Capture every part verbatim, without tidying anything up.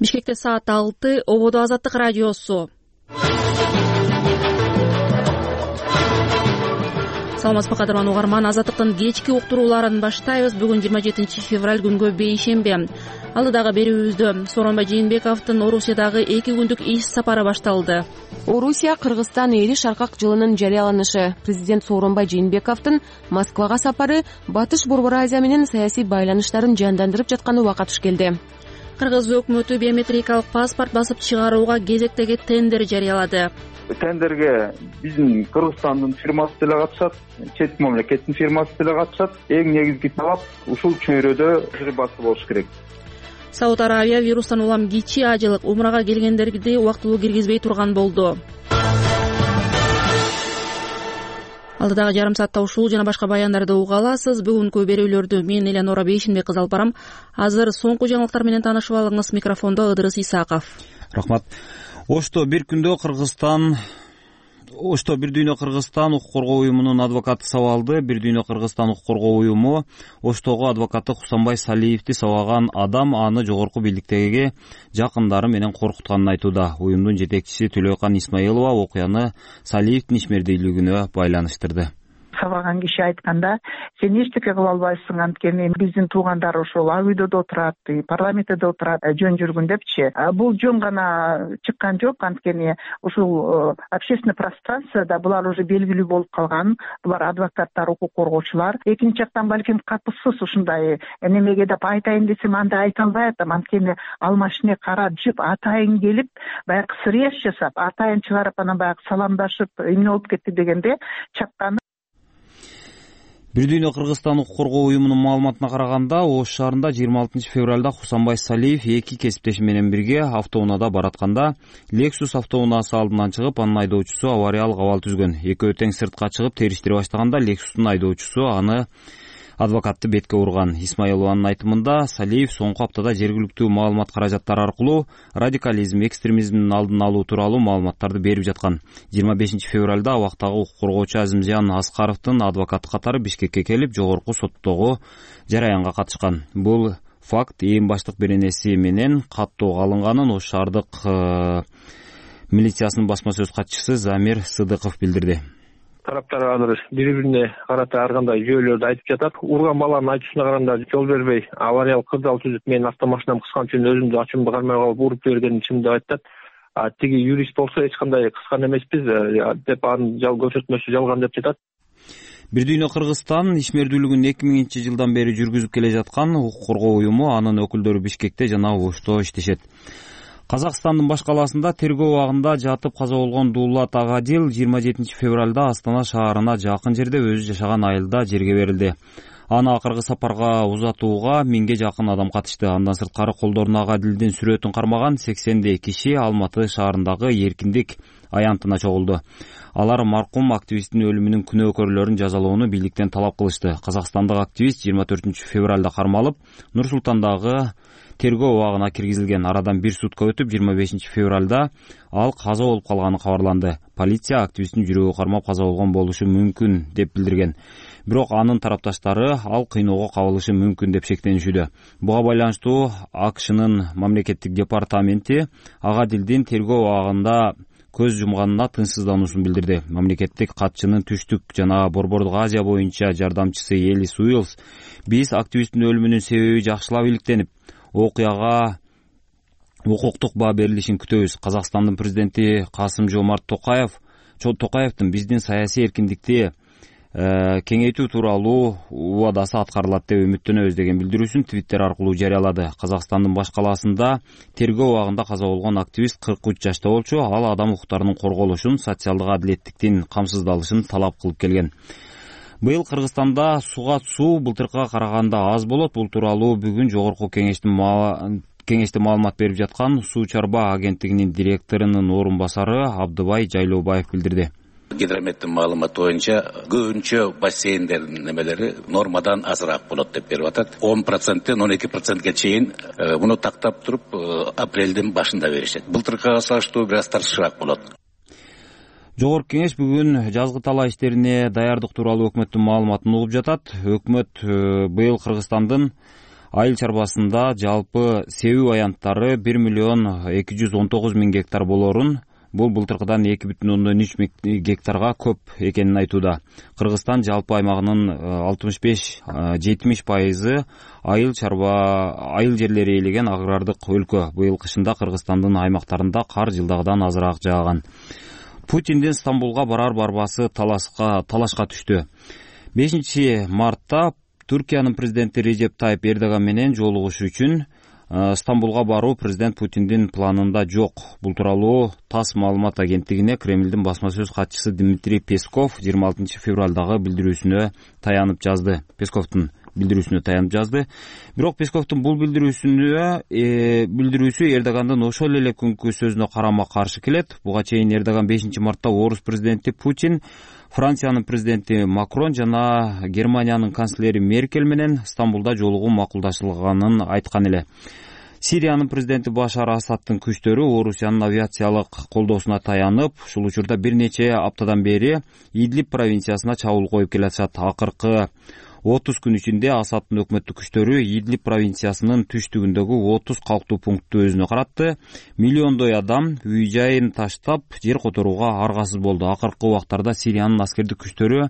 Бишкекте саат алты, ободо Азаттык радиосу. Саламатсызбы кадырлан угарман, Азаттыктын кечки уктурууларын баштайбыз. Бүгүн жыйырма жетинчи февраль күнгө бейшемби. Алдыдагы берүүбүздө Сооронбай Жээнбековдун Орусиядагы эки күндүк иш сапары башталды. Орусия Кыргызстан эли шаркак жылынын жарыяланышы, президент Сооронбай Жээнбековдун Москвага сапары Батыш Борбор Азия менен саясий байланыштарын жандандырып жатканы убакыт туш келди. Кыргыз өкмөтү биометрикалык паспорт басып чыгарууга кезектеги тендер жарыялады. Тендерге биздин Кыргызстандын фирмасы деле катышат, чет мамлекеттин фирмасы деле катышат. Эң негизги талап ушул чөйрөдө тажрыйбасы болуш керек. Сауд Арабия вирустан улам кичи ажылык умрага келгендерди убактылуу киргизбей турган болду. Алдыдагы жарым саатта ушул жана башка баяндарды уга аласыз. Бүгүнкү берүүлөрдү мен Элеонора Бейшенбек кызы алып барам. Азыр соңку жаңылыктар менен таанышып алыңыз. Микрофондо Ыдырыс Исаков. Рахмат. Ошто бир күндө Кыргызстан Ошто Бир дүйнө Кыргызстан укук коргоо уюмунун адвокаты сабалды. Бир дүйнө Кыргызстан укук коргоо уюму Оштогу адвокаты Хусанбай Салиевди сабаган адам аны жогорку бийликтеги жакындары менен коркутканын айтууда. Уюмдун жетекчиси Төлөйкан Исмаилова окуяны Салиевдин ишмердүүлүгүнө байланыштырды. Сабаган киши айтканда, сен эчтеке кыла албайсың, анткени биздин туугандар ошол ак үйдө отурат, парламентте отурат, жөн жүргүн депчи. Бул жөн гана чыккан жок, анткени ушул общественный пространствода булар уже белгилүү болуп калган. Булар адвокаттар, укук коргоочулар. Экинчи жактан балким катышсыз ушундай немеге деп айтайын десем, анда айта албай атам, анткени ал машине кара жып атайын келип, баягы срез жасап, атайын чыгарып, анан баягы саламдашып, эмне болуп кетти дегенде чакканы. Бир дүйнө Кыргызстан укук коргоо уюмунун маалыматына караганда, Ош шаарында жыйырма алтынчы февралда Хусанбай Салиев эки кесиптеши менен бирге автоунаада баратканда Lexus автоунаасы алдынан чыгып, анын айдоочусу авариялык абал түзгөн. Экөө тең сыртка чыгып териштире баштаганда Lexustун айдоочусу аны адвокатты бетке урган. Исмаилованын айтымында, Салиев соңку аптада жергиликтүү маалымат каражаттары аркылуу радикализм, экстремизмдин алдын алуу тууралуу маалыматтарды берип жаткан. жыйырма бешинчи февралда абактагы укук коргоочу Азимжан Аскаровдун адвокаты катары Бишкекке келип, жогорку соттогу жараянга катышкан. Бул факт эң баштык беренеси менен каттоого алынганын Ош шаардык милициясынын басма сөз катчысы Замир Сыдыков билдирди. Тараптар азыр бири-бирине карата ар кандай жүйөлөрдү айтып жатат. Урган баланын айтуусуна караганда жол бербей, авариялык кырдаал түзүп, менин автомашинам кыскан үчүн өзүмдү ачуумду кармай калып уруп жибергенин чын деп айтат. А тиги юрист болсо эч кандай кыскан эмеспиз деп анын жал көрсөтмөсү жалган деп жатат. Бир дүйнө Кыргызстан ишмердүүлүгүн эки миңинчи жылдан бери жүргүзүп келе жаткан укук коргоо уюму, анын өкүлдөрү Бишкекте жана Ошто иштешет. Казакстандын баш калаасында тергөө убагында жатып каза болгон Дулат Агадил жыйырма жетинчи февралда Астана шаарына жакын жерде өзү жашаган айылда жерге берилди. Аны акыркы сапарга узатууга миңге жакын адам катышты. Андан сырткары колдоруна Агадилдин сүрөтүн кармаган сексендей киши Алматы шаарындагы Эркиндик аянтына чогулду. Алар маркум активисттин өлүмүнүн күнөөкөрлөрүн жазалоону бийликтен талап кылышты. Казакстандык активист жыйырма төртүнчү февралда кармалып, Нур Султандагы тергөө убагына киргизилген. Арадан бир сутка өтүп, жыйырма бешинчи февралда ал каза болуп калганы кабарланды. Полиция активисттин жүрөгү кармап каза болгон болушу мүмкүн деп билдирген. Бирок анын тарапташтары ал кыйноого кабылышы мүмкүн деп шектенишүүдө. Буга байланыштуу АКШнын мамлекеттик департаменти Агадилдин тергөө убагында көз жумганына тынчсыздануусун билдирди. Мамлекеттик катчынын Түштүк жана Борбордук Азия боюнча жардамчысы Элис Уилс: "Биз активисттин өлүмүнүн себеби жакшылап иликтенип, окуяга укуктук баа берилишин күтөбүз. Казакстандын президенти Касым-Жомарт Токаев Токаевдин биздин саясий эркиндикти кеңейтүү тууралуу убадасы аткарылат деп үмүттөнөбүз" деген билдирүүсүн Твиттер аркылуу жарыялады. Казакстандын баш калаасында тергөө убагында каза болгон активист кырк үч жашта болчу. Ал адам укуктарынын корголушун, социалдык адилеттиктин камсыздалышын талап кылып келген. Быйыл Кыргызстанда суга суу былтыркыга караганда аз болот. Бул тууралуу бүгүн жогорку кеңештин кеңеште маалымат берип жаткан Суу чарба агенттигинин директорунун орун басары Абдыбай Жайлообаев билдирди. Гидрометтин маалыматы боюнча көбүнчө бассейндердин немелери нормадан азыраак болот деп берип атат. он проценттен он эки процентке чейин муну тактап туруп апрелдин башында беришет. Былтыркыга салыштыруу бир аз тартышыраак болот. Жогорку кеңеш бүгүн жазгы талаа иштерине даярдык тууралуу өкмөттүн маалыматын угуп жатат. Өкмөт быйыл Кыргызстандын айыл чарбасында жалпы себүү аянттары бир миллион эки жүз он тогуз миң гектар болорун, бул былтыркыдан эки бүтүн ондон үч миң гектарга көп экенин айтууда. Кыргызстан жалпы аймагынын алтымыш беш жетимиш пайызы айыл чарба айыл жерлери ээлеген агрардык өлкө. Быйыл кышында Кыргызстандын аймактарында кар жылдагыдан азыраак жааган. Путиндин Стамбулга барар барбасы талашка талашка түштү. бешинчи мартта Түркиянын президенти Режеп Тайып Эрдоган менен жолугуш үчүн Стамбулга баруу президент Путиндин планында жок. Бул тууралуу ТАСС маалымат агенттигине Кремлдин басма сөз катчысы Дмитрий Песков жыйырма алтынчы февралдагы билдирүүсүнө таянып жазды. Песковдун билдирүүсүнө таянып жазды. Бирок Песковдун бул билдирүүсүнө э, билдирүүсү Эрдогандын ошол эле күнкү сөзүнө карама каршы келет. Буга чейин Эрдоган бешинчи мартта орус президенти Путин, Франциянын президенти Макрон жана Германиянын канцлери Меркель менен Стамбулда жолугуу макулдашылганын айткан эле. Сириянын президенти Башар Асадтын күчтөрү Орусиянын авиациялык колдоосуна таянып, ушул учурда бир нече аптадан бери Идлиб провинциясына чабуул коюп келатышат. Акыркы отуз күн ичинде Асадтын өкмөттүк күчтөрү Идлиб провинциясынын түштүгүндөгү отуз калктуу пунктту өзүнө каратты. Миллиондой адам үй жайын таштап жер которууга аргасыз болду. Акыркы убактарда Сириянын аскердик күчтөрү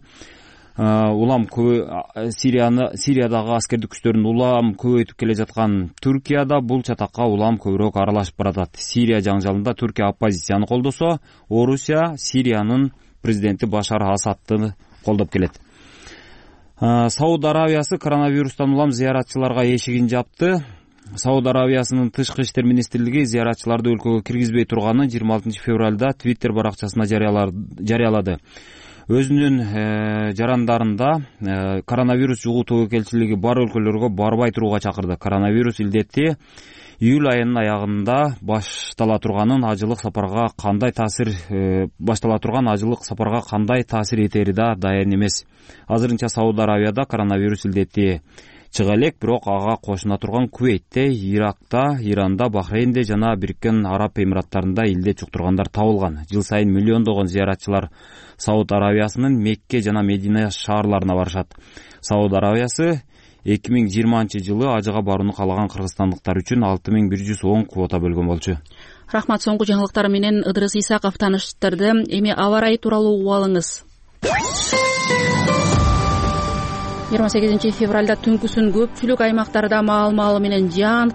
улам Сирияны Сириядагы аскердик күчтөрүн улам көбөйтүп келе жаткан Түркияда бул чатакка улам көбүрөөк аралашып баратат. Сирия жаңжалында Түркия оппозицияны колдосо, Орусия Сириянын президенти Башар Асадты колдоп келет. Сауд Аравиясы коронавирустан улам зыяратчыларга эшигин жапты. Сауд Аравиясынын тышкы иштер министрлиги зыяратчыларды өлкөгө киргизбей турганын жыйырма алтынчы февралда Твиттер баракчасына жарыялады. Өзүнүн э, жарандарында э, коронавирус жугуу тобокелчилиги бар өлкөлөргө барбай турууга чакырды. Коронавирус илдети июль айынын аягында баштала турганын ажылык сапарга кандай таасир э, баштала турган ажылык сапарга кандай таасир этери да дайын эмес. Азырынча Сауд Аравияда коронавирус илдети чыга элек, бирок ага кошуна турган Кувейтте, Иракта, Иранда, Бахрейнде жана Бириккен Араб Эмираттарында илдет жуктургандар табылган. Жыл сайын миллиондогон зыяратчылар Сауд Аравиясынын Мекке жана Медина шаарларына барышат. Сауд Аравиясы эки миң жыйырманчы жылы ажыга барууну каалаган кыргызстандыктар үчүн алты миң бир жүз он квота бөлгөн болчу. Рахмат. Соңку жаңылыктар менен Ыдырыс Исаков тааныштырды. Эми аба ырайы тууралуу угуп алыңыз. жыйырма сегизинчи февралда түнкүсүн көпчүлүк аймактарда маал-маалы менен жаан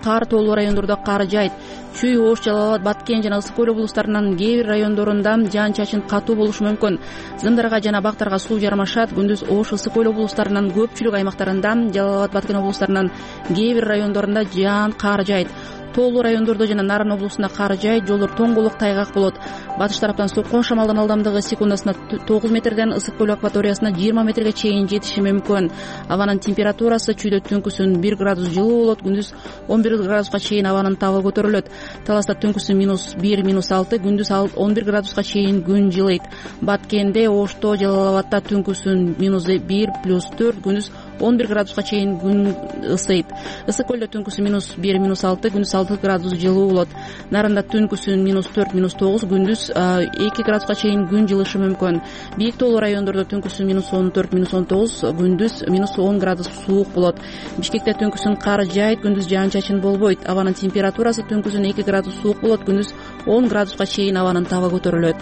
кар тоолуу райондордо кар жайт. Чүй, Ош, Жалал абад, Баткен жана Ысык көл облустарынын кээ бир райондорунда жаан-чачын катуу болушу мүмкүн. Зымдарга жана бактарга суу жармашат. Күндүз Ош, Ысык көл облустарынын көпчүлүк аймактарында, Жалал абад, Баткен облустарынын кээ бир райондорунда жаан кар жайт. Тоолуу райондордо жана Нарын облусунда кар жайт, жолдор тоңголук тайгак болот. Батыш тараптан соккон шамалдын ылдамдыгы секундасына тогуз метрден Ысык көл акваториясына жыйырма метрге чейин жетиши мүмкүн. Абанын температурасы чүйдө түнкүсүн бир градус жылуу болот, күндүз он бир градуска чейин абанын табы көтөрүлөт. Таласта түнкүсүн минус бир, минус алты, күндүз он бир градуска чейин күн жылыйт. Баткенде, Ошто, Жалал абадта түнкүсүн минус бир, плюс төрт, күндүз он бир градуска чейин күн ысыйт. Ысык көлдө түнкүсүн минус бир, минус алты, күндүз алты градус жылуу болот. Нарында түнкүсүн минус төрт, минус тогуз, күндүз эки градуска чейин күн жылышы мүмкүн. Бийик тоолуу райондордо түнкүсүн минус он төрт, минус он тогуз, күндүз минус он градус суук болот. Бишкекте түнкүсүн кар жайт, күндүз жаан-чачын болбойт. Абанын температурасы түнкүсүн эки градус суук болот, күндүз он градуска чейин абанын табы көтөрүлөт.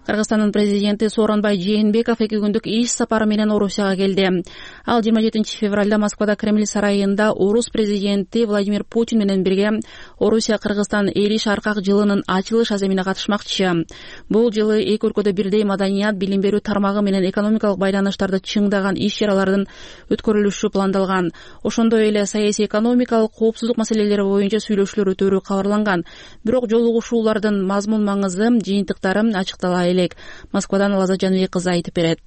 Кыргызстандын президенти Сооронбай Жээнбеков эки күндүк иш сапары менен Орусияга келди. Ал жыйырма жетинчи февралда Москвада Кремль сарайында Орус президенти Владимир Путин менен бирге Орусия-Кыргызстан эл шаркак жылынын ачылыш аземине катышмакчы. Бул жылы эки өлкөдө бирдей маданият, билим берүү тармагы менен экономикалык байланыштарды чыңдаган иш-чаралардын өткөрүлүшү пландалган. Ошондой эле саясий экономикалык коопсуздук маселелери боюнча сүйлөшүүлөр өтөрү кабарланган. Бирок жолугушуулардын мазмун маңызы, жыйынтыктары ачыктала элек. Москвадан Лаза Жаныбек кызы айтып берет.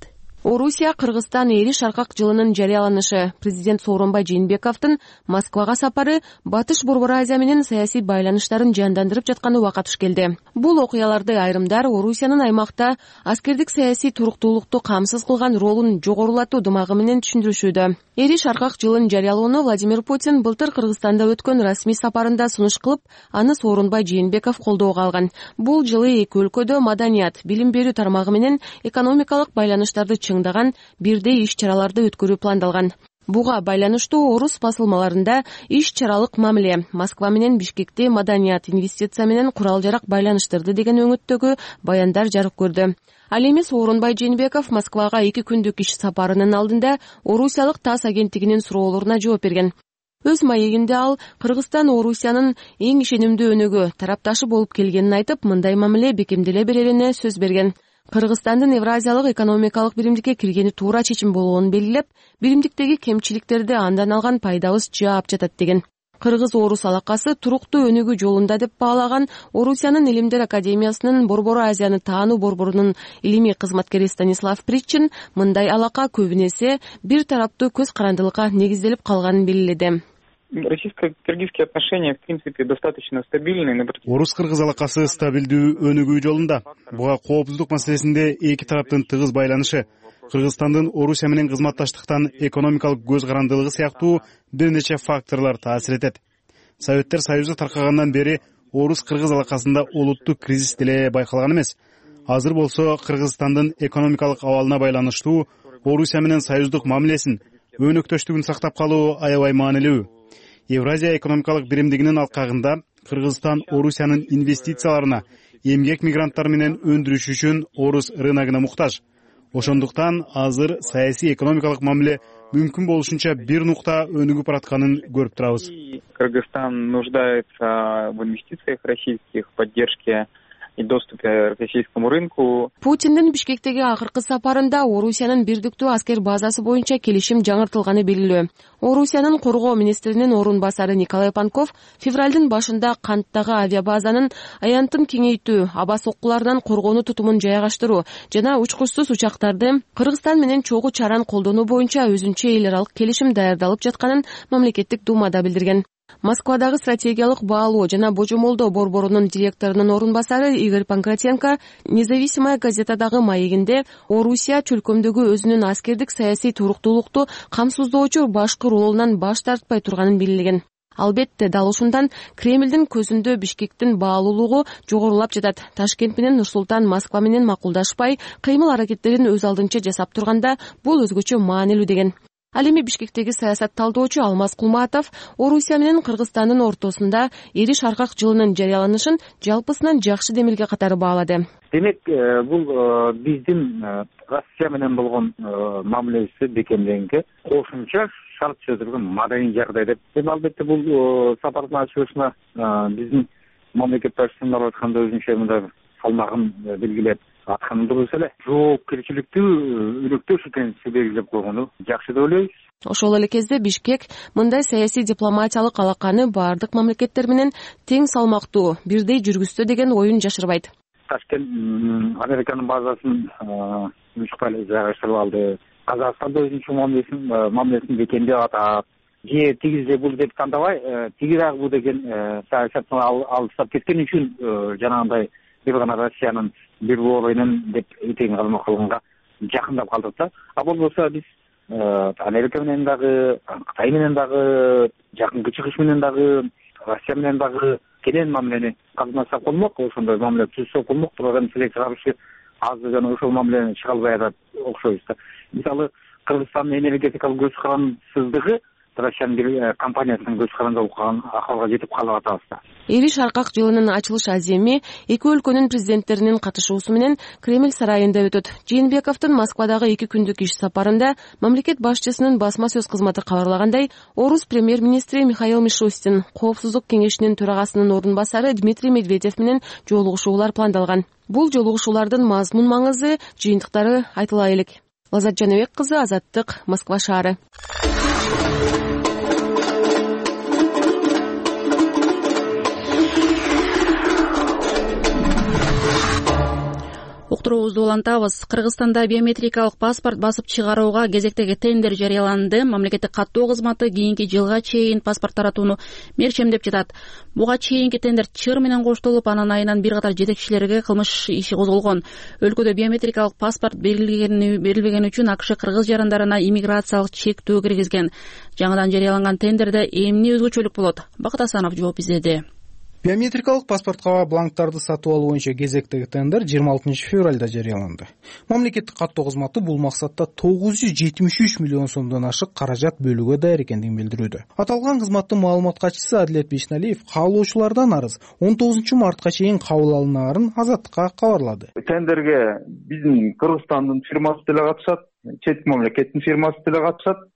Орусия, Кыргызстан эри шаркак жылынын жарыяланышы, президент Сооронбай Жээнбековдун Москвага сапары Батыш Борбор Азия менен саясий байланыштарын жандандырып жатканы убакыт туш келди. Бул окуяларды айрымдар Орусиянын аймакта аскердик саясий туруктуулукту камсыз кылган ролун жогорулатуу дымагы менен түшүндүрүшүүдө. Эри шаркак жылын жарыялоону Владимир Путин былтыр Кыргызстанда өткөн расмий сапарында сунуш кылып, аны Сооронбай Жээнбеков колдоого алган. Бул жылы эки өлкөдө маданият, билим берүү тармагы менен экономикалык байланыштарды чыңдаган бирдей иш-чараларды өткөрүү пландалган. Буга байланыштуу орус басылмаларында иш-чаралык мамиле, Москва менен Бишкекте маданият, инвестиция менен курал-жарак байланыштырды деген өңүттөгү баяндар жарык көрдү. Ал эми Сооронбай Жээнбеков Москвага эки күндүк иш сапарынын алдында Орусиялык ТАСС агенттигинин суроолоруна жооп берген. Өз маегинде ал Кыргызстан Орусиянын эң ишенимдүү өнөгү, тарапташы болуп келгенин айтып, мындай мамиле бекемделе берерине сөз берген. Кыргызстандын Евразиялык экономикалык биримдикке киргени туура чечим болгонун белгилеп, биримдиктеги кемчиликтерди андан алган пайдабыз жаап жатат деген. Кыргыз-орус алакасы туруктуу өнүгүү жолунда деп баалаган Орусиянын Илимдер академиясынын Борбор Азияны таануу борборунун илимий кызматкери Станислав Причин мындай алака көбүнесе бир тараптуу көз карандылыкка негизделип калганын белгиледи. Российско-кыргызские отношения, в принципе, достаточно стабильны. Орус-кыргыз алакасы стабилдүү өнүгүү жолунда. Буга коопсуздук маселесинде эки тараптын тыгыз байланышы, Кыргызстандын Орусия менен кызматташтыктан экономикалык көз карандылыгы сыяктуу бир нече факторлор таасир этет. Советтер Союзу таркагандан бери орус-кыргыз алакасында олуттуу кризис деле байкалган эмес. Азыр болсо Кыргызстандын экономикалык абалына байланыштуу Орусия менен союздук мамилесин, өнөктөштүгүн сактап калуу аябай маанилүү. Евразия экономикалык биримдигинин алкагында Кыргызстан Орусиянын инвестицияларына, эмгек мигранттары менен өндүрүш үчүн орус рыногуна муктаж. Ошондуктан азыр саясий экономикалык мамиле мүмкүн болушунча бир нукта өнүгүп баратканын көрүп турабыз. Кыргызстан нуждается в инвестициях российских, в поддержке и доступе к российскому рынку. Путиндин Бишкектеги акыркы сапарында Орусиянын бирдиктүү аскер базасы боюнча келишим жаңыртылганы белгилүү. Орусиянын коргоо министринин орун басары Николай Панков февралдын башында канттагы авиабазанын аянтын кеңейтүү, аба соккуларынан коргонуу тутумун жайгаштыруу жана учкучсуз учактарды Кыргызстан менен чогуу чаран колдонуу боюнча өзүнчө эл аралык келишим даярдалып жатканын мамлекеттик думада билдирген. Москвадагы стратегиялык баалоо жана божомолдоо борборунун директорунун орун басары Игорь Панкратенко Независимая газетадагы маегинде Орусия чөлкөмдөгү өзүнүн аскердик саясий туруктуулукту камсыздоочу башкы ролунан баш тартпай турганын белгилеген. Албетте, дал ушундан Кремлдин көзүндө Бишкектин баалуулугу жогорулап жатат. Ташкент менен Нур-Султан Москва менен макулдашпай, кыймыл-аракеттерин өз алдынча жасап турганда бул өзгөчө маанилүү деген. Ал эми Бишкектеги саясат талдоочу Алмаз Кулматов Орусия менен Кыргызстандын ортосунда эри шаркак жылынын жарыяланышын жалпысынан жакшы демилге катары баалады. Демек, бул биздин Россия менен болгон мамилебизди бекемдегенге кошумча шарт түзүлгөн маданий жагдай деп. Эми албетте бул сапардын ачылышына биздин мамлекет башчысынын алып атканда өзүнчө мындай салмагын белгилеп атканы дурус эле. Жоопкерчиликтүү өнөктөш экенин белгилеп койгону жакшы деп ойлойбуз. Ошол эле кезде Бишкек мындай саясий дипломатиялык алаканы баардык мамлекеттер менен тең салмактуу, бирдей жүргүздү деген оюн жашырбайт. Ташкент Американын базасын муниципаль жайгаштырып алды. Казакстанда өзүнчө мамилесин мамилесин бекемдеп атат. Же тиги же бул деп тандабай, тиги дагы бул деген саясаттан алыстап кеткен үчүн жанагындай бир гана Россиянын бир бооройнун деп этегин калмак кылганга жакындап калдык да. А болбосо биз Америка менен дагы, Кытай менен дагы, жакынкы чыгыш менен дагы, Россия менен дагы кенен мамилени казмасак болмок, ошондой мамиле түзсөк болмок. Турган селекция каршы азыр жана ошол мамилени чыга албай атат окшойбуз да. Мисалы, Кыргызстандын энергетикалык көз карандысыздыгы Россиянын бир компаниясынын көз каранды болуп калган акыбалга жетип калып атабыз да. Эри шаркак жылынын ачылыш аземи эки өлкөнүн президенттеринин катышуусу менен Кремль сарайында өтөт. Жээнбековдун Москвадагы эки күндүк иш сапарында мамлекет башчысынын басма сөз кызматы кабарлагандай, орус премьер-министри Михаил Мишустин, Коопсуздук кеңешинин төрагасынын орун басары Дмитрий Медведев менен жолугушуулар пландалган. Бул жолугушуулардын мазмун маңызы, жыйынтыктары айтыла элек. Лазат Жаныбек кызы, Азаттык, Москва шаары. уктуруубузду улантабыз. Кыргызстанда биометрикалык паспорт басып чыгарууга кезектеги тендер жарыяланды. Мамлекеттик каттоо кызматы кийинки жылга чейин паспорт таратууну мерчемдеп жатат. Буга чейинки тендер чыр менен коштолуп, анын айынан бир катар жетекчилерге кылмыш иши козголгон. Өлкөдө биометрикалык паспорт берилбегени үчүн АКШ кыргыз жарандарына иммиграциялык чектөө киргизген. Жаңыдан жарыяланган тендерде эмне өзгөчөлүк болот? Бакыт Асанов жооп издеди. Биометрикалык паспортко бланктарды сатып алуу боюнча кезектеги тендер жыйырма алтынчы февралда жарыяланды. Мамлекеттик каттоо кызматы бул максатта тогуз жүз жетимиш үч миллион сомдон ашык каражат бөлүүгө даяр экендигин билдирүүдө. Аталган кызматтын маалымат катчысы Адилет Бейшналиев каалоочулардан арыз он тогузунчу мартка чейин кабыл алынаарын Азаттыкка кабарлады. Тендерге биздин Кыргызстандын фирмасы деле катышат, чет мамлекеттин фирмасы деле катышат.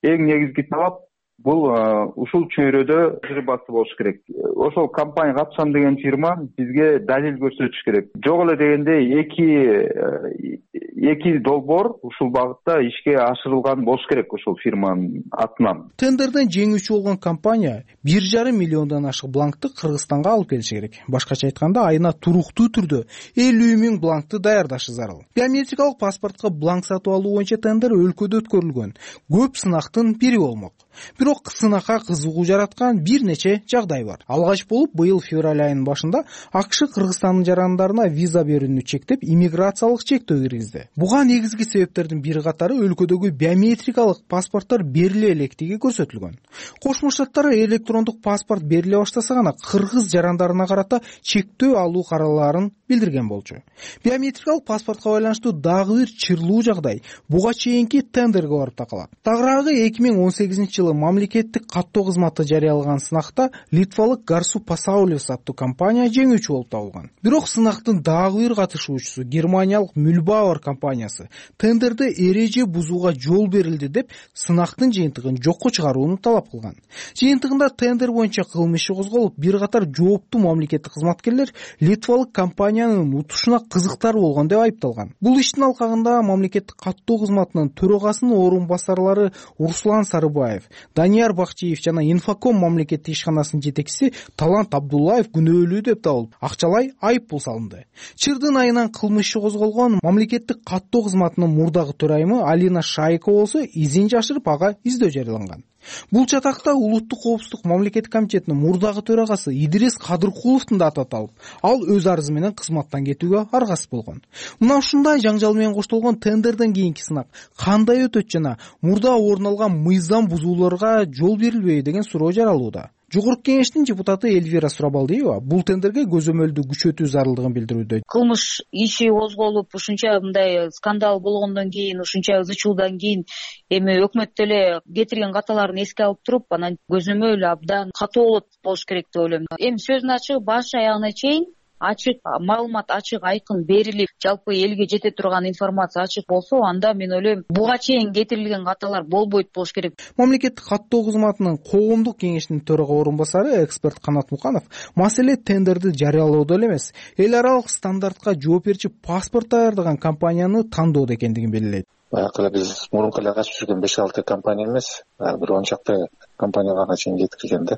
Эң негизги талап бул ушул чөйрөдө тажрыйбасы болуш керек. Ошол компания катышам деген фирма бизге далил көрсөтүш керек. Жок эле дегенде эки эки долбоор ушул багытта ишке ашырылган болуш керек ушул фирманын атынан. Тендерден жеңүүчү болгон компания бир жарым миллиондон ашык бланкты Кыргызстанга алып келиши керек. Башкача айтканда, айына туруктуу түрдө элүү миң бланкты даярдашы зарыл. Биометрикалык паспортко бланк сатып алуу боюнча тендер өлкөдө өткөрүлгөн көп сынактын бири болмок. Бирок сынакка кызыгуу жараткан бир нече жагдай бар. Алгач болуп быйыл февраль айынын башында АКШ Кыргызстандын жарандарына виза берүүнү чектеп, иммиграциялык чектөө киргизди. Буга негизги себептердин бир катары өлкөдөгү биометрикалык паспорттор бериле электиги көрсөтүлгөн. Кошмо Штаттар электрондук паспорт бериле баштаса гана кыргыз жарандарына карата чектөө алуу каралаарын билдирген болчу. Биометрикалык паспортко байланыштуу дагы бир чырлуу жагдай буга чейинки тендерге барып такалат. Тагыраагы эки миң он сегизинчи жылы мамлекеттик каттоо кызматы жарыялаган сынакта литвалык Гарсу Пасаулес аттуу компания жеңүүчү болуп табылган. Бирок сынактын дагы бир катышуучусу германиялык Мюльбауэр компаниясы тендерде эреже бузууга жол берилди деп сынактын жыйынтыгын жокко чыгарууну талап кылган. Жыйынтыгында тендер боюнча кылмыш иши козголуп, бир катар жооптуу мамлекеттик кызматкерлер литвалык компаниянын утушуна кызыктар болгон деп айыпталган. Бул иштин алкагында мамлекеттик каттоо кызматынын төрагасынын орун басарлары Руслан Сарыбаев, Данияр Бакчиев жана Инфоком мамлекеттик ишканасынын жетекчиси Талант Абдуллаев күнөөлүү деп табылып, акчалай айып пул салынды. Чырдын айынан кылмыш иши козголгон мамлекеттик каттоо кызматынын мурдагы төрайымы Алина Шайкова болсо изин жашырып ага издөө жарыяланган. Бул чатакта Улуттук коопсуздук мамлекеттик комитетинин мурдагы төрагасы Идрис Кадыркуловдун да аты аталып, ал өз арызы менен кызматтан кетүүгө аргасыз болгон. Мына ушундай жаңжал менен коштолгон тендерден кийинки сынак кандай өтөт жана мурда орун алган мыйзам бузууларга жол берилбейби деген суроо жаралууда. Жогорку кеңештин депутаты Эльвира Сурабалдиева бул тендерге көзөмөлдү күчөтүү зарылдыгын билдирүүдө. Кылмыш иши козголуп, ушунча мындай скандал болгондон кийин, ушунча ызы чуудан кийин эми өкмөт деле кетирген каталарын эске алып туруп, анан көзөмөл абдан катуу болуш керек деп ойлойм. Эми сөздүн ачыгы баш аягына чейин ачык маалымат, ачык айкын берилип, жалпы элге жете турган информация ачык болсо, анда мен ойлойм буга чейин кетирилген каталар болбойт болуш керек. Мамлекеттик каттоо кызматынын коомдук кеңешинин төрага орун басары эксперт Канат Муканов маселе тендерди жарыялоодо эле эмес, эл аралык стандартка жооп берчи паспорт даярдаган компанияны тандоодо экендигин белгилейт. Баягы эле биз мурунку эле качып жүргөн беш алты компания эмес, бир он чакты компанияга чейин жеткирген да.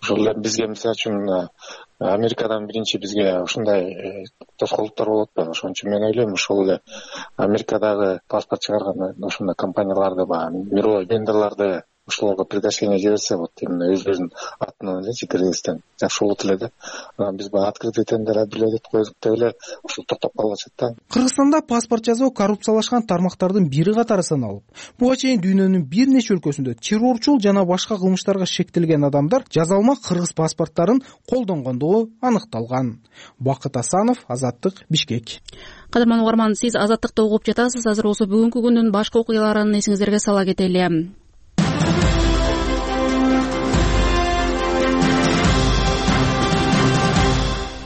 Ошол эле бизге мисалы үчүн Америкадан биринчи бизге ушундай тоскоолдуктар болуп атпайбы? Ошон үчүн мен ойлойм, ошол эле Америкадагы паспорт чыгарган ошондой компанияларды, баягы мировой вендорлорду ошолорго приглашение жиберсе болот, именно өздөрүнүн атынан элечи киргизсем жакшы болот эле да. Анан биз баягы открытый тендер объявлять коюп деп эле ушул токтоп калышат да. Кыргызстанда паспорт жасоо коррупциялашкан тармактардын бири катары саналып, буга чейин дүйнөнүн бир нече өлкөсүндө террорчул жана башка кылмыштарга шектелген адамдар жазалма кыргыз паспорттарын колдонгондугу аныкталган. Бакыт Асанов, Азаттык, Бишкек. Кадырман угарман, сиз Азаттыкты угуп жатасыз. Азыр болсо бүгүнкү күндүн башка окуяларын эсиңиздерге сала кетели.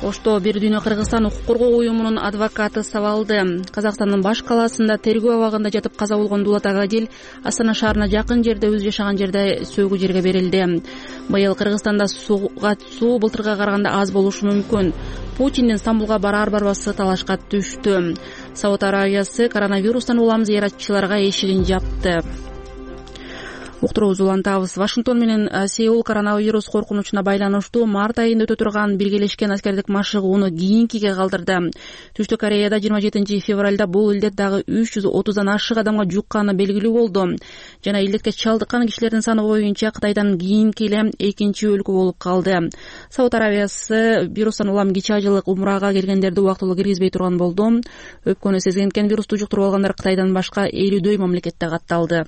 Ошто Бир дүйнө Кыргызстан укук коргоо уюмунун адвокаты сабалды. Казакстандын баш калаасында тергөө абагында жатып каза болгон Дулат Агадил Астана шаарына жакын жерде өзү жашаган жерде сөгүү жерге берилди. Быйыл Кыргызстанда сууга суу былтырга караганда аз болушу мүмкүн. Путиндин Стамбулга барар-барбасы талашка түштү. Сауд Арабиясы коронавирустан улам зыяратчыларга эшигин жапты. уктуруубузду улантабыз. Вашингтон менен Сеул коронавирус коркунучуна байланыштуу март айында өтө турган биргелешкен аскердик машыгууну кийинкиге калтырды. Түштүк Кореяда жыйырма жетинчи февралда бул илдет дагы үч жүз отуздан ашык адамга жукканы белгилүү болду. Жана илдетке чалдыккан кишилердин саны боюнча Кытайдан кийинки эле экинчи өлкө болуп калды. Сауд Арабиясы вирустан улам кичи ажылык умрага келгендерди убактылуу киргизбей турган болду. Өпкөнү сезген вирусту жуктуруп алгандар Кытайдан башка элүүдөй мамлекетте катталды.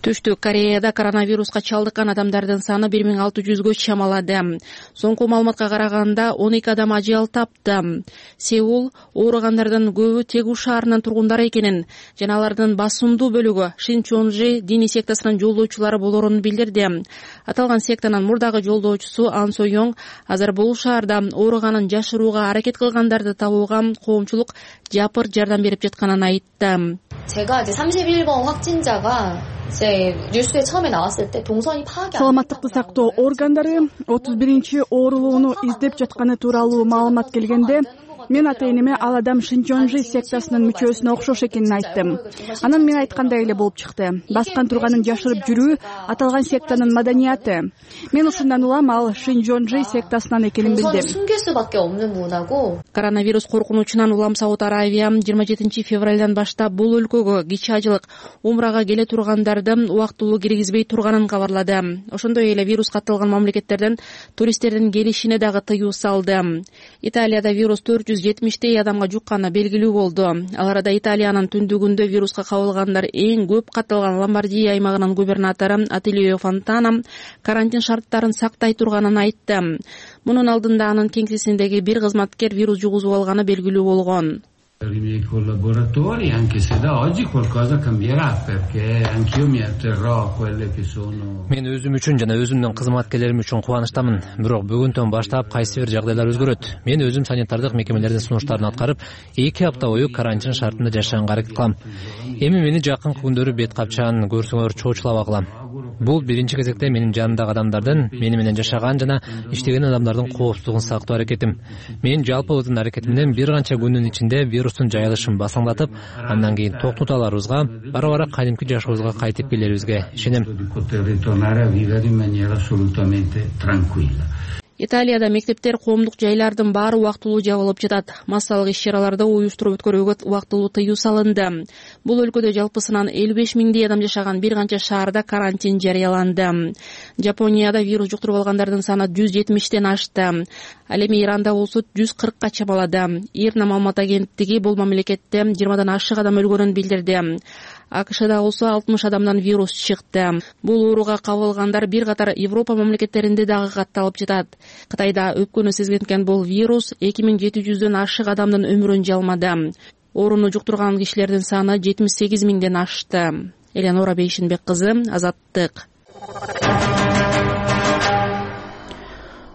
Түштүк Кореяда коронавируска чалдыккан адамдардын саны бир миң алты жүзгө чамалады. Соңку маалыматка караганда он эки адам ажал тапты. Сеул ооругандардын көбү Тегу шаарынын тургундары экенин жана алардын басымдуу бөлүгү Шинчонжи диний сектасынын жолдоочулары болорун билдирди. Аталган сектанын мурдагы жолдоочусу Ан Сойонг азыр бул шаарда ооруганын жашырууга аракет кылгандарды табууга коомчулук жапыр жардам берип жатканын айтты. 제가 이제 삼십일 번 확진자가 제 뉴스에 처음에 나왔을 때 동선이 파악이 саламаттыкты сактоо органдары отуз биринчи оорулууну издеп жатканы тууралуу маалымат келгенде мен ата-энеме ал адам Шинчонжи сектасынын мүчөсүнө окшош экенин айттым. Анан мен айткандай эле болуп чыкты. Баскан турганын жашырып жүрүү аталган сектанын маданияты. Мен ушундан улам ал Шинчонжи сектасынан экенин билдим. 숨길 수밖에 없는 문화고. Коронавирус коркунучунан улам Сауд Арабия жыйырма жетинчи февралдан баштап бул өлкөгө кичи ажылык умрага келе тургандарды убактылуу киргизбей турганын кабарлады. Ошондой эле вирус катталган мамлекеттерден туристтердин келишине дагы тыюу салды. Италияда вирус төрт жүз жетимиштей адамга жукканы белгилүү болду. Ал арада Италиянын түндүгүндө вируска кабылгандар эң көп катталган Ломбардия аймагынын губернатору Атилио Фонтана карантин шарттарын сактай турганын айтты. Мунун алдында анын кеңсесиндеги бир кызматкер вирус жугузуп алганы белгилүү болгон. Per i miei collaboratori, anche se da oggi qualcosa cambierà, perché anch'io mi atterrò a quelle che sono. Мен өзүм үчүн жана өзүмдүн кызматкерлерим үчүн кубанычтамын. Бирок бүгүндөн баштап кайсы бир жагдайлар өзгөрөт. Мен өзүм санитардык мекемелердин сунуштарын аткарып, эки апта бою карантин шартында жашаганга аракет кылам. Эми мени жакынкы күндөрү бет капчан көрсөңөр чоочулабагыла. Бул биринчи кезекте менин жанымдагы адамдардын, мени менен жашаган жана иштеген адамдардын коопсуздугун сактоо аракетим. Мен жалпыбыздын аракет менен бир канча күндүн ичинде вирустун жайылышын басаңдатып, андан кийин токтоталарыбызга, бара-бара кадимки жашообузга кайтып келерибизге ишенем. Италияда мектептер, коомдук жайлардын баары убактылуу жабылып жатат. Массалык иш-чараларды уюштуруп өткөрүүгө убактылуу тыюу салынды. Бул өлкөдө жалпысынан элүү беш миңдей адам жашаган бир канча шаарда карантин жарыяланды. Жапонияда вирус жуктуруп алгандардын саны жүз жетимиштен ашты. Ал эми Иранда болсо жүз кыркка чамалады. Ирна маалымат агенттиги бул мамлекетте жыйырмадан ашык адам өлгөнүн билдирди. АКШда болсо алтымыш адамдан вирус чыкты. Бул ооруга кабылгандар бир катар Европа мамлекеттеринде дагы катталып жатат. Кытайда өпкөнү сезген бул вирус эки миң жети жүздөн ашык адамдын өмүрүн жалмады. Ооруну жуктурган кишилердин саны жетимиш сегиз миңден ашты. Эленора Бейшинбек кызы, Азаттык.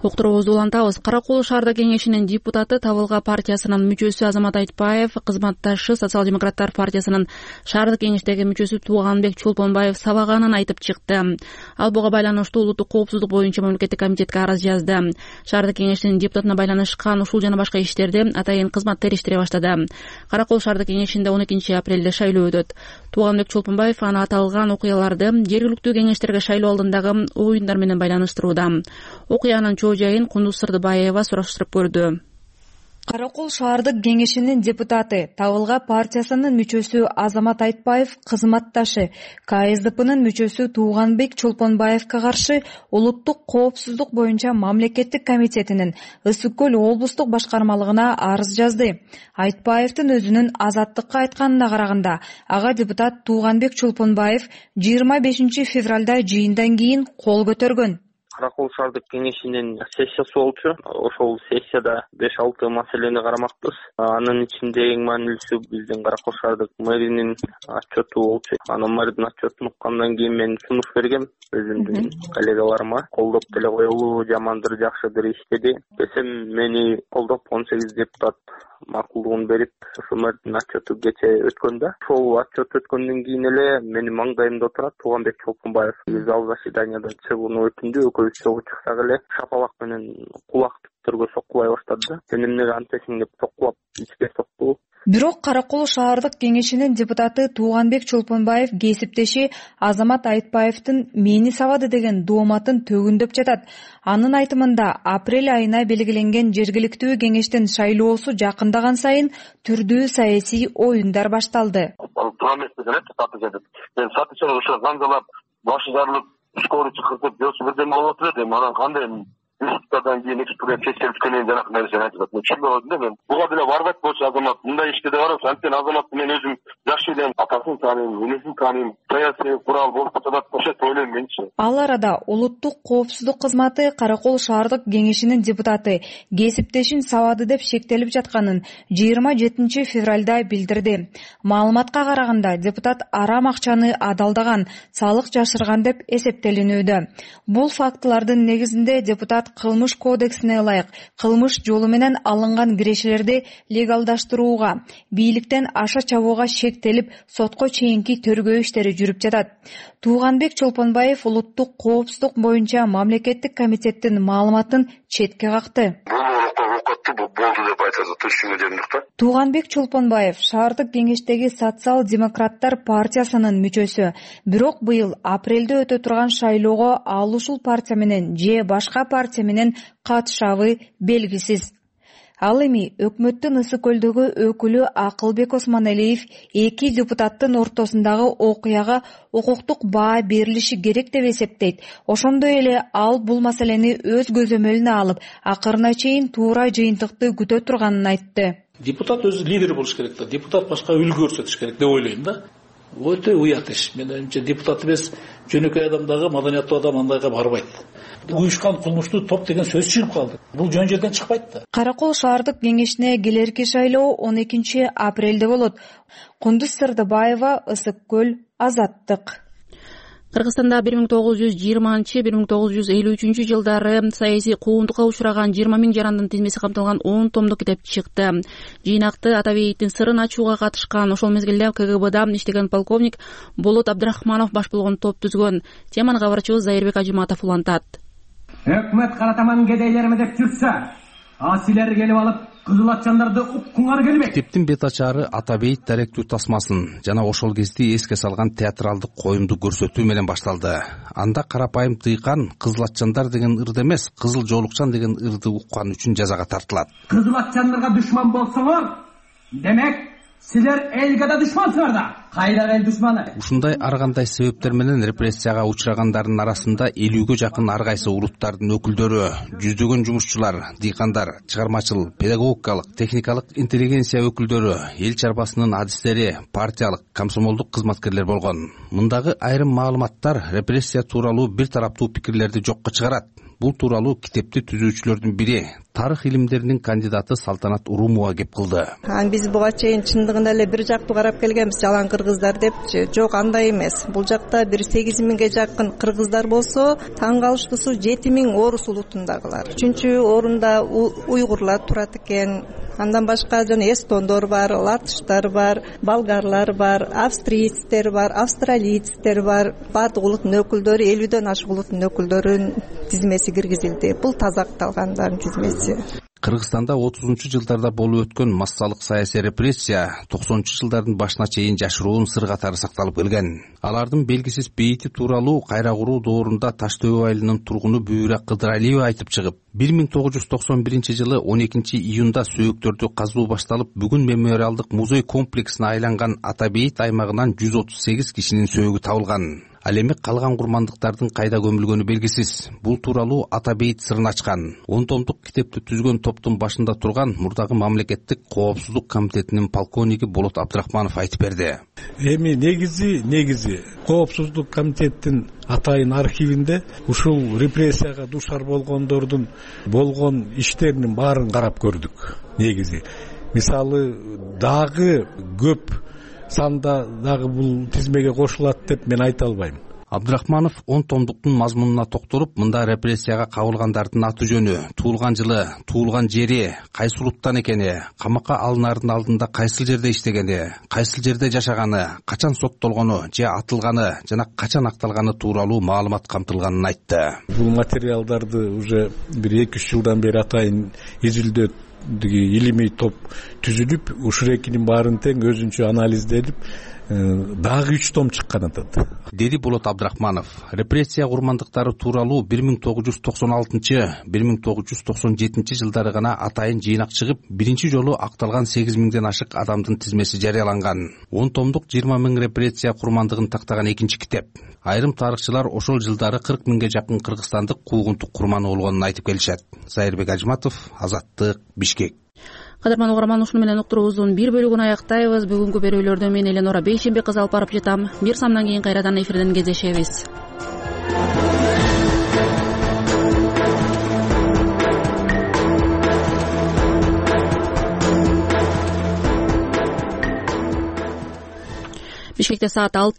Уктуруубузду улантабыз. Каракол шаардык кеңешинин депутаты Табылга партиясынын мүчөсү Азамат Айтпаев, кызматташы Социал-демократтар партиясынын шаардык кеңештеги мүчөсү Тууганбек Чолпонбаев сабаганын айтып чыкты. Ал буга байланыштуу улуттук коопсуздук боюнча мамлекеттик комитетке арыз жазды. Шаардык кеңештин депутатына байланышкан ушул жана башка иштерди атайын кызмат териштире баштады. Каракол шаардык кеңешинде он экинчи апрелде шайлоо өтөт. Тууганбек Чолпонбаев аны аталган окуяларды жергиликтүү кеңештерге шайлоо алдындагы оюндар менен байланыштырууда. Окуянын жайын Кундуз Сырдыбаева сураштырып көрдү. Каракол шаардык кеңешинин депутаты, Табылга партиясынын мүчөсү Азамат Айтпаев, кызматташы Ка Эс Д П'нын мүчөсү Тууганбек Чолпонбаевга каршы улуттук коопсуздук боюнча мамлекеттик комитетинин Ысык Көл облустук башкармалыгына арыз жазды. Айтпаевдин өзүнүн Азаттыкка айтканына караганда, ага депутат Тууганбек Чолпонбаев жыйырма бешинчи февралда жыйындан кийин кол көтөргөн. Каракол шаардык кеңешинин сессиясы болчу. Ошол сессияда беш алты маселени карамакпыз. Анын ичинде эң маанилүүсү биздин Каракол шаардык мэринин отчету болчу. Анын мэрдин отчетун уккандан кийин мен сунуш бергем өзүмдүн коллегаларыма. Колдоп деле коелу, жамандыр, жакшыдыр иштеди десем, мени колдоп он сегиз депутат макулдугун берип, ошо мэрдин отчету кече өткөн да. Ошол отчет өткөндөн кийин эле менин маңдайымда отурат Тууганбек Чолпонбаев. Зал заседанияда чыгууну өтүндү, экөөбүз чогуу чыксак эле шапалак менен кулактыргө соккулай баштады да. Сен эмнеге антесиң деп соккулап ичке сокту. Бирок Кара Кол шаардык кеңешинин депутаты Тууганбек Чолпонбаев кесиптеши Азамат Айтпаевдин мени сабады деген дооматын төгүндөп жатат. Анын айтымында апрель айына белгиленген жергиликтүү кеңештин шайлоосу жакындаган сайын түрдүү саясий оюндар башталды. Сатышар ошо заңдалап, башы жарылып, скорый чакыртып, жосу бирдеме болуп отурат. Эми анан кандай институттардан кийин экспресс тескерткенин жанакы нерсени айтып атат. Мен түшүнбөдүм да мен. Буга деле барбайт болчу Азамат. Мындай иште да барып, анткени Азаматты мен өзүм жакшы элем, атасын тааныйм, энесин тааныйм. Саясий курал болуп жатат деп ойлойм менчи. Ал арада улуттук коопсуздук кызматы Кара Кол шаардык кеңешинин депутаты кесиптешин сабады деп шектелип жатканын жыйырма жетинчи февралда билдирди. Маалыматка караганда депутат арам акчаны адалдаган, салык жашырган деп эсептелинүүдө. Бул фактылардын негизинде депутат кылмыш кодексине ылайык кылмыш жолу менен алынган кирешелерди легалдаштырууга, бийликтен аша чабууга шектелип, сотко чейинки тергөө иштери жүрүп жатат. Тууганбек Чолпонбаев улуттук коопсуздук боюнча мамлекеттик комитеттин маалыматын четке какты. Тууганбек Чолпонбаев шаардык кеңештеги социал-демократтар партиясынын мүчөсү. Бирок быйыл апрелде өтө турган шайлоого ал ушул партия менен же башка партия менен катышабы белгисиз. Ал эми өкмөттүн Ысык көлдөгү өкүлү Акылбек Осмоналиев эки депутаттын ортосундагы окуяга укуктук баа берилиши керек деп эсептейт. Ошондой эле ал бул маселени өз көзөмөлүнө алып, акырына чейин туура жыйынтыкты күтө турганын айтты. Депутат өзү лидер болуш керек да, депутат башка үлгү көрсөтүш керек деп ойлойм да. Өтө уят иш. Мен ойумча депутат эмес, жөнөкөй адам дагы, маданияттуу адам андайга барбайт. Уюшкан кылмыштуу топ деген сөз чыгып калды. Бул жөн жерден чыкпайт да. Кара Кол шаардык кеңешине келерки шайлоо он экинчи апрелде болот. Кундуз Сырдыбаева, Ысык көл, Азаттык. Кыргызстанда бир миң тогуз жүз жыйырманчы — бир миң тогуз жүз элүү үчүнчү жылдары саясий куугунтукка учураган жыйырма миң жарандын тизмеси камтылган он томдук китеп чыкты. Жыйнакты Атабеевдин сырын ачууга катышкан, ошол мезгилде КГБда иштеген полковник Болот Абдрахманов баш болгон топ түзгөн. Теманы кабарчыбыз Зайырбек Ажыматов улантат. Өкмөт каратаман кедейлериме деп жүрсө, а силер келип алып кызыл атчандарды уккуңар келбейт. Китептин бет ачары Атабейт даректүү тасмасын жана ошол кезде эске салган театралдык коюмду көрсөтүү менен башталды. Анда карапайым дыйкан кызыл атчандар деген ырды эмес, кызыл жоолукчан деген ырды уккан үчүн жазага тартылат. Кызыл атчандарга душман болсоңор, демек силер элге да душмансыңар да. Кайда эл душманы? Ушундай ар кандай себептер менен репрессияга учурагандардын арасында элүүгө жакын ар кайсы улуттардын өкүлдөрү, жүздөгөн жумушчулар, дыйкандар, чыгармачыл, педагогикалык, техникалык интеллигенция өкүлдөрү, эл чарбасынын адистери, партиялык, комсомолдук кызматкерлер болгон. Мындагы айрым маалыматтар репрессия тууралуу бир тараптуу пикирлерди жокко чыгарат. Бул тууралуу китепти түзүүчүлөрдүн бири, тарых илимдеринин кандидаты Салтанат Урумова кеп кылды. Биз буга чейин чындыгында эле бир жактуу карап келгенбиз, жалаң кыргыздар депчи. Жок, андай эмес. Бул жакта бир сегиз миңге жакын кыргыздар болсо, таң калыштуусу жети миң орус улутундагылар. Үчүнчү орунда уйгурлар турат экен. Андан башка жана эстондор бар, латыштар бар, болгарлар бар, австрийцтер бар, австралийцтер бар. Баардык улуттун өкүлдөрү, элүүдөн ашык улуттун өкүлдөрүнүн тизмеси киргизилди. Бул таза акталгандардын тизмеси. Кыргызстанда отузунчу жылдарда болуп өткөн массалык саясий репрессия токсонунчу жылдардын башына чейин жашыруун сыр катары сакталып келген. Алардын белгисиз бейити тууралуу кайра куруу доорунда Таш төбө айылынын тургуну Бүбүрак Кыдыралиева айтып чыгып, бир миң тогуз жүз токсон биринчи жылы он экинчи июнда сөөктөрдү казуу башталып, бүгүн мемориалдык музей комплексине айланган Атабейт аймагынан жүз отуз сегиз кишинин сөөгү табылган. Ал эми калган курмандыктардын кайда көмүлгөнү белгисиз. Бул тууралуу Атабейт сырын ачкан он томдук китепти түзгөн топтун башында турган мурдагы мамлекеттик коопсуздук комитетинин полковниги Болот Абдрахманов айтып берди. Эми негизи негизи коопсуздук комитеттин атайын архивинде ушул репрессияга душар болгондордун болгон иштеринин баарын карап көрдүк. Негизи мисалы дагы көп санда дагы бул тизмеге кошулат деп мен айта албайм. Абдрахманов он томдуктун мазмунуна токтолуп, мында репрессияга кабылгандардын аты жөнү, туулган жылы, туулган жери, кайсы улуттан экени, камакка алынаардын алдында кайсыл жерде иштегени, кайсыл жерде жашаганы, качан соттолгону же атылганы жана качан акталганы тууралуу маалымат камтылганын айтты. Бул материалдарды уже бир эки үч жылдан бери атайын изилдөө илимий топ түзүлүп ушул экинин баарын тең өзүнчө анализделип дагы үч том чыккан атат, деди Болот Абдрахманов. Репрессия курмандыктары тууралуу бир миң тогуз жүз токсон алтынчы бир миң тогуз жүз токсон жетинчи жылдары гана атайын жыйнак чыгып, биринчи жолу акталган сегиз миңден ашык адамдын тизмеси жарыяланган. он томдук жыйырма миң репрессия курмандыгын тактаган экинчи китеп. Айрым тарыхчылар ошол жылдары кырк миңге жакын кыргызстандык куугунтук курманы болгонун айтып келишет. Зайырбек Ажматов, Азаттык, Бишкек. Кадырман угарман, ушуну менен уктуруубуздун бир бөлүгүн аяктайбыз. Бүгүнкү берүүлөрдө мен Эленора Бейшембек кызы алып барып жатам. Бир самдан кийин кайрадан эфирден кездешебиз. Бишкекте саат алты.